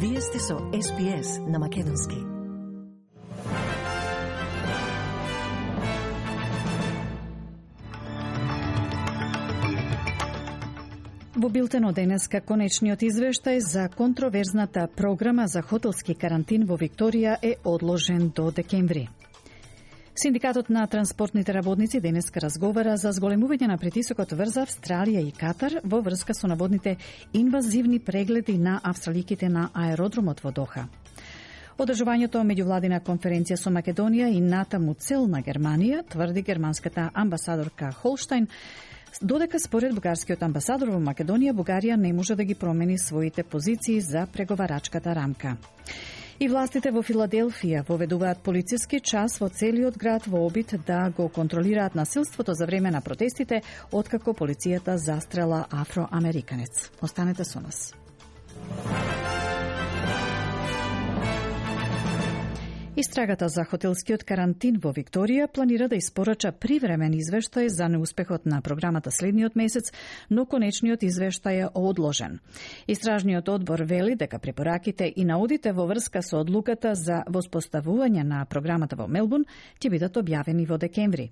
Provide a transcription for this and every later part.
Вие сте со SBS на Македонски. Во билтенот денеска конечниот извештај за контроверзната програма за хотелски карантин во Викторија е одложен до декември. Синдикатот на транспортните работници денеска разговара за зголемување на притисокот врз Австралија и Катар во врска со наводните инвазивни прегледи на австраликите на аеродромот во Доха. Одржувањето меѓувладина конференција со Македонија и натаму цел на Германија, тврди германската амбасадорка Холштајн, додека според бугарскиот амбасадор во Македонија, Бугарија не може да ги промени своите позиции за преговарачката рамка. И властите во Филаделфија воведуваат полициски час во целиот град во обид да го контролираат насилството за време на протестите, откако полицијата застрела афроамериканец. Останете со нас. Истрагата за хотелскиот карантин во Викторија планира да испорача привремен извештај за неуспехот на програмата следниот месец, но конечниот извештај е одложен. Истражниот одбор вели дека препораките и наудите во врска со одлуката за воспоставување на програмата во Мелбурн ќе бидат објавени во декември.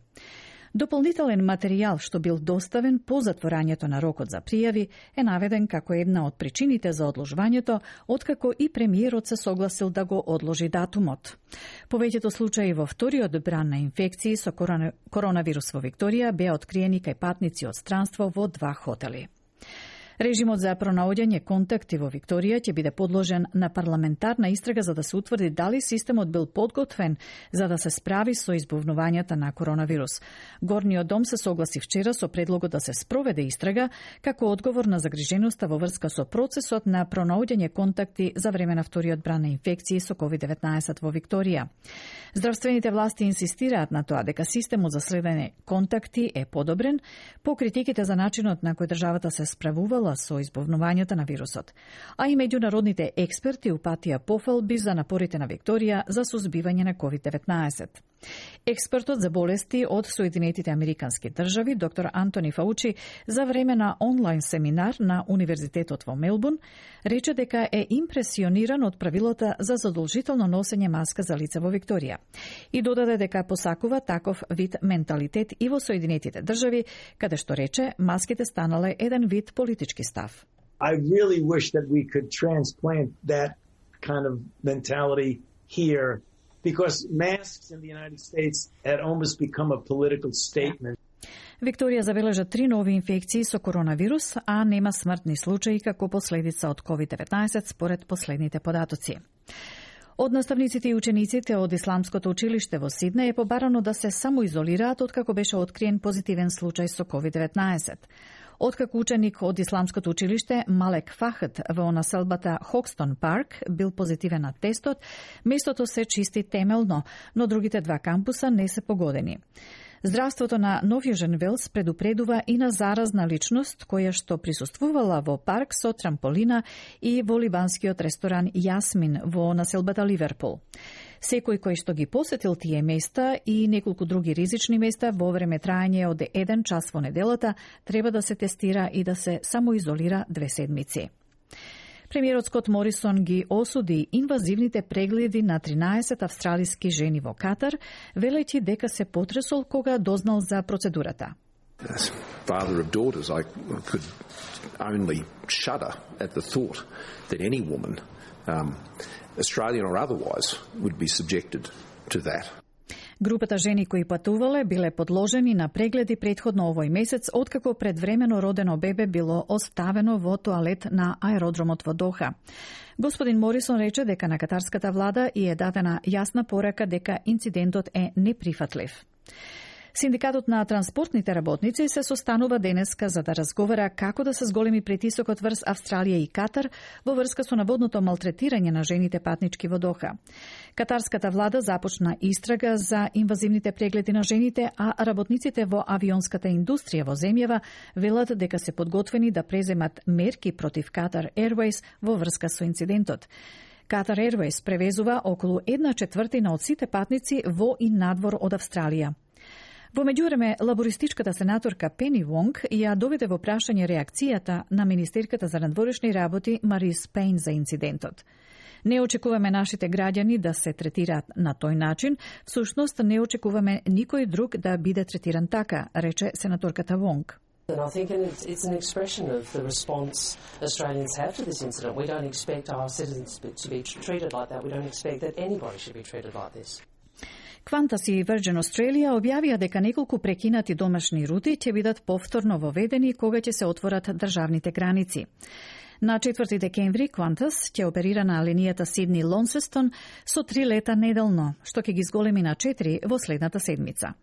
Дополнителен материјал што бил доставен по затворањето на рокот за пријави е наведен како една од причините за одложувањето, откако и премиерот се согласил да го одложи датумот. Повеќето случаи во вториот бран на инфекции со коронавирус во Викторија беа откриени кај патници од странство во 2 хотели. Режимот за пронаоѓање контакти во Викторија ќе биде подложен на парламентарна истрага за да се утврди дали системот бил подготвен за да се справи со избувнувањата на коронавирус. Горниот дом се согласи вчера со предлогот да се спроведе истрага како одговор на загриженоста во врска со процесот на пронаоѓање контакти за време на вториот бран на инфекции со COVID-19 во Викторија. Здравствените власти инсистираат на тоа дека системот за следење контакти е подобрен по критиките за начинот на кој државата се справувала со избувнувањето на вирусот, а и меѓународните експерти упатија пофалби за напорите на Викторија за сузбивање на COVID-19. Експертот за болести од Соединетите Американски држави, доктор Антони Фаучи, за време на онлайн семинар на Универзитетот во Мелбурн, рече дека е импресиониран од правилата за задолжително носење маска за лица во Викторија и додаде дека посакува таков вид менталитет и во Соединетите држави, каде што рече маските станале еден вид политички став. I really wish that we could transplant that kind of mentality here because masks in the United States had almost become a political statement. Викторија забележа 3 нови инфекции со коронавирус, а нема смртни случаи како последица од COVID-19 според последните податоци. Од наставниците и учениците од Исламското училиште во Сиднеј е побарано да се самоизолираат откако беше откриен позитивен случај со COVID-19. Откако ученик од Исламското училиште Малек Фахет во населбата Хокстон Парк бил позитивен на тестот, местото се чисти темелно, но другите 2 кампуса не се погодени. Здравството на Нов Јужен Велс предупредува и на заразна личност која што присуствувала во парк со трамполина и во либанскиот ресторан Јасмин во населбата Ливерпул. Секој кој што ги посетил тие места и неколку други ризични места во време трајање од 1 час во неделата треба да се тестира и да се самоизолира 2 седмици. Премиерот Скот Морисон ги осуди инвазивните прегледи на 13 австралиски жени во Катар, велејќи дека се потресол кога дознал за процедурата. As father of daughters, I could only shudder at the thought that any woman, Australian or otherwise, would be subjected to that. Групата жени кои патувале биле подложени на прегледи претходно овој месец, откако предвремено родено бебе било оставено во тоалет на аеродромот во Доха. Господин Морисон рече дека на катарската влада и е дадена јасна порака дека инцидентот е неприфатлив. Синдикатот на транспортните работници се состанува денеска за да разговара како да се зголеми притисокот врз Австралија и Катар во врска со наводното малтретирање на жените патнички во Доха. Катарската влада започна истрага за инвазивните прегледи на жените, а работниците во авионската индустрија во земјава велат дека се подготвени да преземат мерки против Qatar Airways во врска со инцидентот. Qatar Airways превезува околу 1/4 од сите патници во и надвор од Австралија. Во меѓувреме, лабористичката сенаторка Пени Вонг ја доведе во прашање реакцијата на министерката за надворешни работи Марис Пейн за инцидентот. Не очекуваме нашите граѓани да се третираат на тој начин, всушност не очекуваме никој друг да биде третиран така, рече сенаторката Вонг. And I think it's an expression of the response Australians have to this incident. We don't expect our citizens to be treated like that. We don't expect that anybody should be treated like this. Qantas и Virgin Australia објавија дека неколку прекинати домашни рути ќе бидат повторно воведени кога ќе се отворат државните граници. На 4 декември Qantas ќе оперира на линијата Сидни-Лонсестон со 3 лета неделно, што ќе ги зголеми на 4 во следната седмица.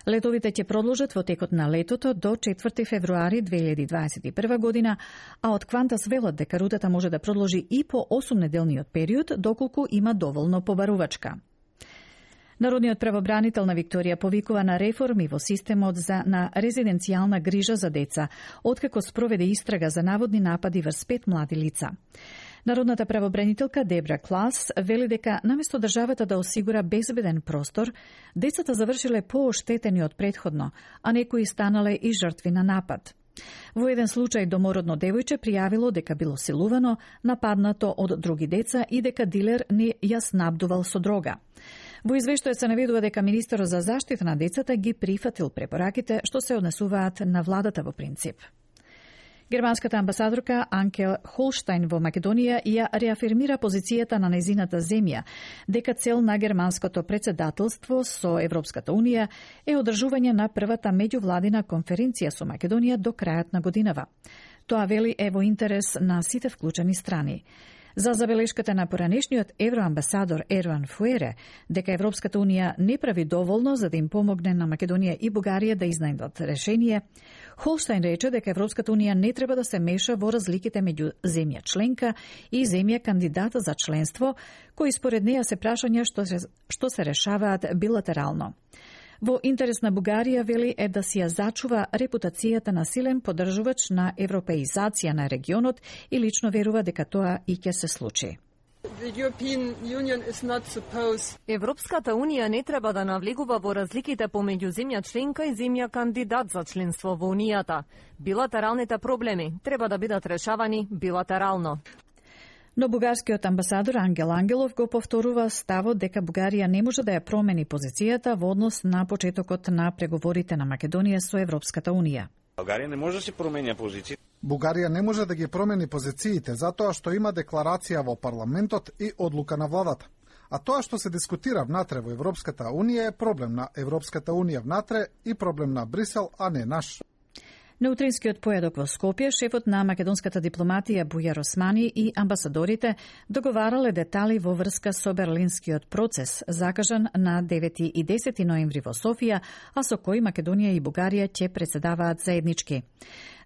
Летовите ќе продолжат во текот на летото до 4 февруари 2021 година, а од Qantas велат дека рутата може да продолжи и по 8-неделниот период, доколку има доволно побарувачка. Народниот правобранител на Викторија повикува на реформи во системот на резиденцијална грижа за деца, откако спроведе истрага за наводни напади врз 5 млади лица. Народната правобранителка Дебра Клас вели дека наместо државата да осигура безбеден простор, децата завршиле пооштетени од претходно, а некои станале и жртви на напад. Во еден случај домородно девојче пријавило дека било силувано, нападнато од други деца и дека дилер не ја снабдувал со дрога. Во извештајот се наведува дека министерот за заштита на децата ги прифатил препораките што се однесуваат на владата во принцип. Германската амбасадорка Анке Холштајн во Македонија ја реафирмира позицијата на незината земја, дека цел на германското председателство со Европската Унија е одржување на првата меѓувладина конференција со Македонија до крајот на годинава. Тоа вели е во интерес на сите вклучени страни. За забелешката на поранешниот евроамбасадор Ерван Фуере дека Европската Унија не прави доволно за да им помогне на Македонија и Бугарија да изнајдат решение, Холштајн рече дека Европската Унија не треба да се меша во разликите меѓу земја членка и земја кандидата за членство, кои според неја се прашања што се решаваат билатерално. Во интерес на Бугарија, вели, е да си ја зачува репутацијата на силен поддржувач на европеизација на регионот и лично верува дека тоа и ќе се случи. Европската Унија не треба да навлегува во разликите помеѓу земја членка и земја кандидат за членство во Унијата. Билатералните проблеми треба да бидат решавани билатерално. Но бугарскиот амбасадор Ангел Ангелов го повторува ставот дека Бугарија не може да ја промени позицијата во однос на почетокот на преговорите на Македонија со Европската Унија. Бугарија не може да се променя позиции. Бугарија не може да ги промени позициите затоа што има декларација во парламентот и одлука на владата. А тоа што се дискутира внатре во Европската Унија е проблем на Европската Унија внатре и проблем на Брисел, а не наш. На утринскиот поедок во Скопје, шефот на македонската дипломатија Бујар Османи и амбасадорите договарале детали во врска со берлинскиот процес, закажан на 9 и 10 ноември во Софија, а со кој Македонија и Бугарија ќе председаваат заеднички.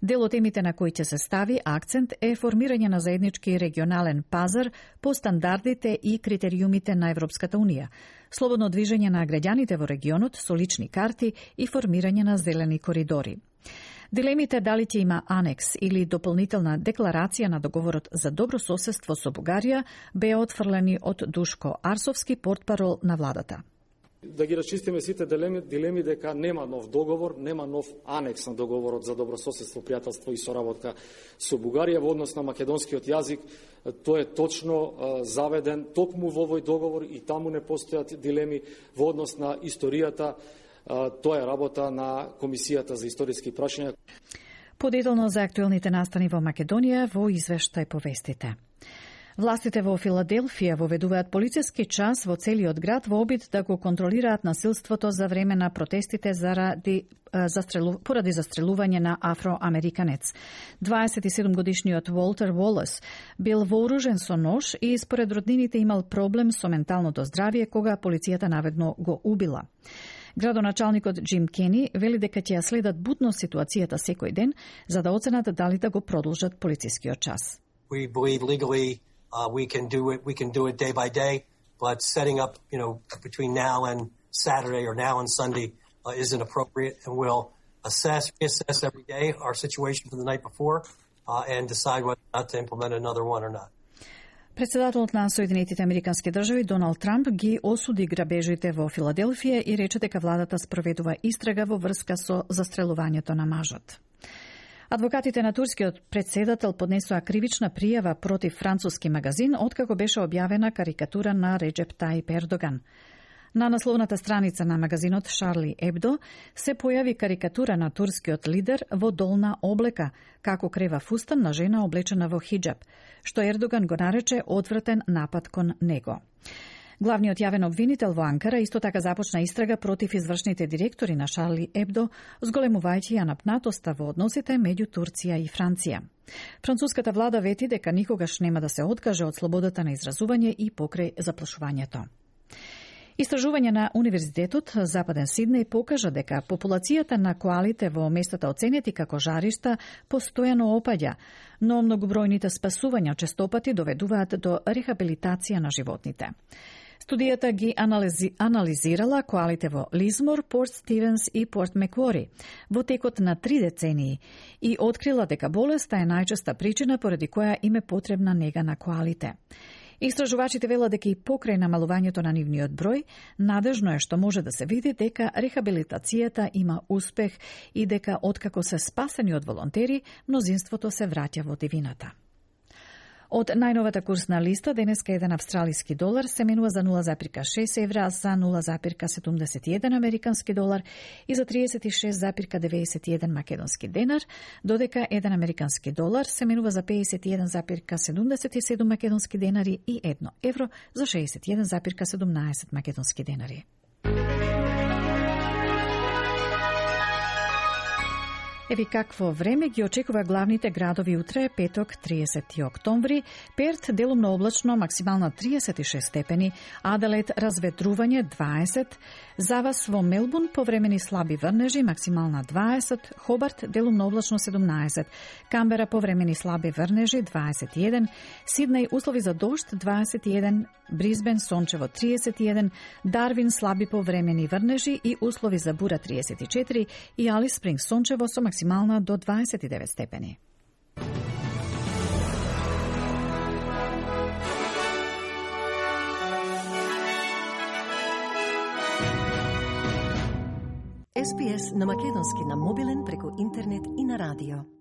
Дел од темите на кои ќе се стави акцент е формирање на заеднички регионален пазар по стандардите и критериумите на Европската Унија, слободно движење на граѓаните во регионот со лични карти и формирање на зелени коридори. Дилемите дали ќе има анекс или дополнителна декларација на договорот за добро соседство со Бугарија беа отфрлени од Душко Арсовски, портпарол на владата. Да ги расчистиме сите дилеми дека нема нов договор, нема нов анекс на договорот за добро соседство, пријателство и соработка со Бугарија во однос на македонскиот јазик. Тој е точно заведен токму во овој договор и таму не постојат дилеми во однос на историјата. Тоа е работа на Комисијата за историски прашања. Подетално за актуелните настани во Македонија во извештај повестите. Властите во Филаделфија воведуваат полициски час во целиот град во обид да го контролираат насилството за време на протестите поради застрелување на афроамериканец. 27-годишниот Волтер Волес бил вооружен со нож и според роднините имал проблем со менталното здравје кога полицијата наведно го убила. Градоначалникот Джим Кени вели дека ќе ја следат будно ситуацијата секој ден за да оценат дали да го продолжат полицискиот час. We believe legally we can do it day by day, but setting up, between now and Saturday or now and Sunday isn't appropriate, and we'll reassess every day our situation from the night before and decide whether or not to implement another one or not. Председателот на Соединетите Американски држави Доналд Трамп ги осуди грабежите во Филаделфија и рече дека владата спроведува истрага во врска со застрелувањето на мажот. Адвокатите на турскиот претседател поднесоа кривична пријава против француски магазин откако беше објавена карикатура на Реджеп Таип Ердоган. На насловната страница на магазинот Шарли Ебдо се појави карикатура на турскиот лидер во долна облека, како крева фустан на жена облечена во хиджаб, што Ердоган го нарече одвратен напад кон него. Главниот јавен обвинител во Анкара исто така започна истрага против извршните директори на Шарли Ебдо, зголемувајќи ја напнатоста во односите меѓу Турција и Франција. Француската влада вети дека никогаш нема да се откаже од слободата на изразување и покрај заплашувањето. Истражување на Универзитетот Западен Сиднеј покажа дека популацијата на коалите во местата оценети како жаришта постојано опаѓа, но многобројните спасувања честопати доведуваат до рехабилитација на животните. Студијата ги анализирала коалите во Лизмор, Порт Стивенс и Порт Меквори во текот на 3 децении и открила дека болеста е најчеста причина поради која им е потребна нега на коалите. Истражувачите велат дека и покрај намалувањето на нивниот број, надежно е што може да се види дека рехабилитацијата има успех и дека откако се спасени од волонтери, мнозинството се враќа во дивината. Од најновата курсна листа, денеска еден австралиски долар се менува за 0,6 евра, за 0,71 американски долар и за 36,91 македонски денар, додека еден американски долар се менува за 51,77 македонски денари и 1 евро за 61,17 македонски денари. Еви какво време ги очекува главните градови утре, петок, 30 октомври. Перт делумно облачно, максимална 36 степени, Аделаид разветрување 20, за вас во Мелбурн повремени слаби врнежи, максимална 20, Хобарт делумно облачно 17, Камбера повремени слаби врнежи 21, Сиднеј услови за дожд 21, Бризбен сончево 31, Дарвин слаби повремени врнежи и услови за бура 34 и Алис Спрингс сончево со максимална до 29 степени. SPS на македонски на мобилен преку интернет и на радио.